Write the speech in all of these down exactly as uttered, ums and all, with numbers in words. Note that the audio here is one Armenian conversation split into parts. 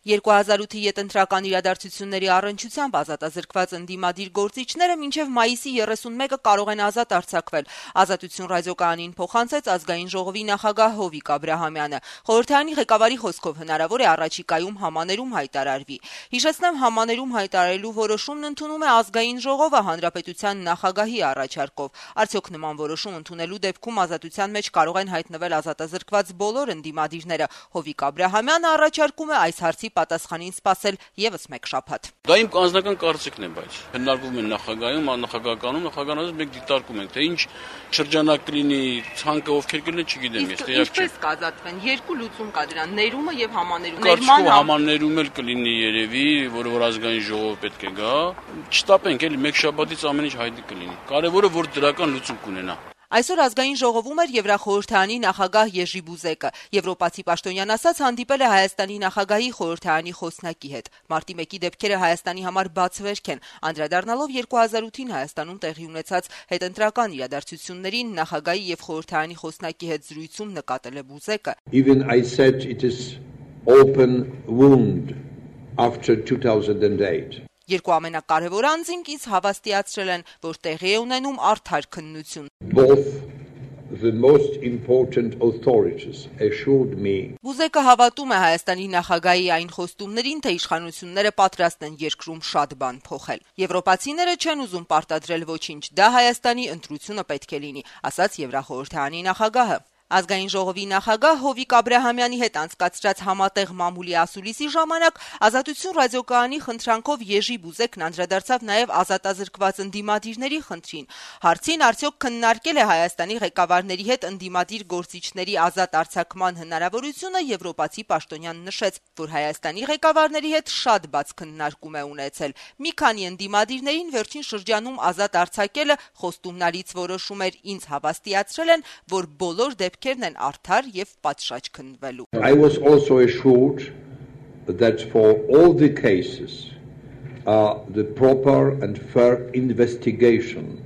երկու հազար ութի ետընտրական իրադարձությունների առնչությամբ ազատազրկված ընդդիմադիր գործիչները մինչև մայիսի երեսունմեկը կարող են ազատ արձակվել, Ազատություն ռադիոկայանին փոխանցեց Ազգային ժողովի նախագահ Հովիկ Աբրահամյանը։ Խորհրդարանի ղեկավարի խոսքով հնարավոր է առաջիկայում համաներում հայտարարվի։ Հիշեցնեմ, համաներում հայտարարելու որոշումն ընդունում է Ազգային ժողովը հանրապետության նախագահի առաջարկով։ Արդյոք նման որոշում ընդունելու դեպքում ազատության մեջ կարող են հայտնվել ազատազրկված բոլոր ընդդիմադիրները։ Հովիկ Աբրահամյանը առաջարկում է այս հարցի պատասխանին սպասել եւս մեկ շաբաթ։ Դա իմ անձնական կարծիքն է, բայց հնարվում է նախագահում, նախագահականում, նախագահանից մենք դիտարկում ենք, թե ինչ շրջանակ կլինի, ցանկը ովքեր կլինեն, չգիտեմ, ես տեղյակ չեմ։ Ինչպես կազատվեն, երկու լուծում կա դրան, ներումը եւ համաներումը։ Կարծիքով համաներում էլ կլինի երևի, որը որ Ազգային ժողովը պետք է գա, չտապենք էլի մեկ շաբաթից ամեն ինչ հայտնի կլինի։ Կարևորը որ դրական լուծում կունենա։ Այսօր Ազգային ժողովում էր Եվրախորհրդարանի նախագահ Եժի Բուզեկը։ Եվրոպացի պաշտոնյան ասաց հանդիպել է Հայաստանի նախագահի խորհրդարանի խոսնակի հետ։ Մարտի մեկի դեպքերը Հայաստանի համար բացվերք են։ Անդրադառնալով երկու հազար ութին Հայաստանում տեղի ունեցած հետընտրական իրադարձություններին նախագահի եւ խորհրդարանի խոսնակի հետ զրույցում նկատել է Բուզեկը. Even I said it is open wound after two thousand eight. Երկու ամենակարևոր անձինք ինձ հավաստիացրել են, որ տեղի է ունենում արդար քննություն։ Both the most important authorities assured me. Բուզեկը հավատում է Հայաստանի նախագահի այն խոստումներին, թե իշխանությունները պատրաստ են երկրում շատ բան փոխել։ Եվրոպացիները չեն ուզում պարտադրել ոչինչ, դա Հայաստանի ընտրությունը պետք է լինի, ասաց Եվրախորհրդարանի նախագահը։ Ազգային ժողովի նախագահ Հովիկ Աբրահամյանի հետ անցկացրած համատեղ մամուլի ասուլիսի ժամանակ Ազատություն ռադիոկայանի խնդրանքով Եժի Բուզեկն անդրադարձավ նաև ազատազրկված ընդդիմադիրների խնդրին։ Հարցին արդյոք քննարկել է Հայաստանի ղեկավարների հետ ընդդիմադիր գործիչների ազատ արձակման հնարավորությունը, եվրոպացի պաշտոնյան նշեց, որ Հայաստանի ղեկավարների հետ շատ բաց քննարկում է ունեցել։ Մի քանի ընդդիմադիրներին վերջին շրջանում ազատ արձակելը խոստումնալից որոշում էր, ինձ հավաստիացրել են, որ բոլոր դեպքերն են արդար եւ պատշաճ քննվելու։ I was also assured that for all the cases uh, the proper and fair investigation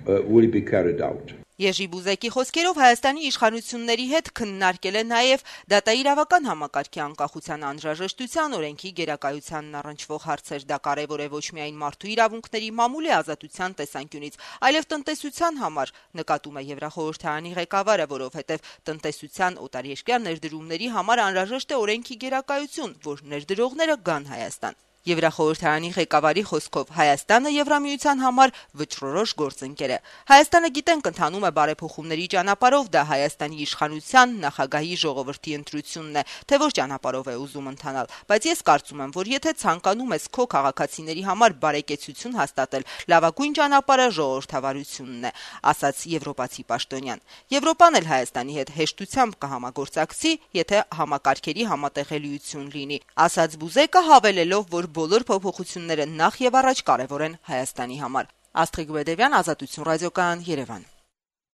uh, will be carried out. Եժի Բուզեկի խոսքերով Հայաստանի իշխանությունների հետ քննարկել է նաև դատաիրավական համակարգի անկախության անհրաժեշտության, օրենքի գերակայությանն առնչվող հարցեր։ Դա կարևոր է ոչ միայն մարդու իրավունքների մամուլի ազատության տեսանկյունից, այլև տնտեսության համար, նկատում է Եվրախորհրդարանի ղեկավարը, որովհետև տնտեսության օտարերկրյա ներդրումների համար անհրաժեշտ է օրենքի գերակայություն, որ ներդրողները գան Հայաստան։ Եվրախորհրդարանի ղեկավարի խոսքով Հայաստանը Եվրամիության համար վճռորոշ գործընկեր է։ Հայաստանը գիտենք ընթանում է բարեփոխումների ճանապարհով, դա Հայաստանի իշխանության նախագահի ժողովրդի ընտրությունն է, թե որ ճանապարհով է ուզում ընթանալ, բայց ես կարծում եմ, որ եթե ցանկանում ես քո քաղաքացիների համար բարեկեցություն հաստատել, լավագույն ճանապարհը ժողովրդավարությունն է, ասաց եվրոպացի պաշտոնյան։ Եվրոպան էլ Հայաստանի հետ հեշտությամբ կհամագործակցի, եթե համակարգերի համատեղելիություն լինի, ասաց Բուզեկը, հավելելով, որ բոլոր փոփոխությունները նախ եւ առաջ կարևոր են Հայաստանի համար։ Աստղիկ Բեդևյան, Ազատություն ռադիոկայան, Երևան։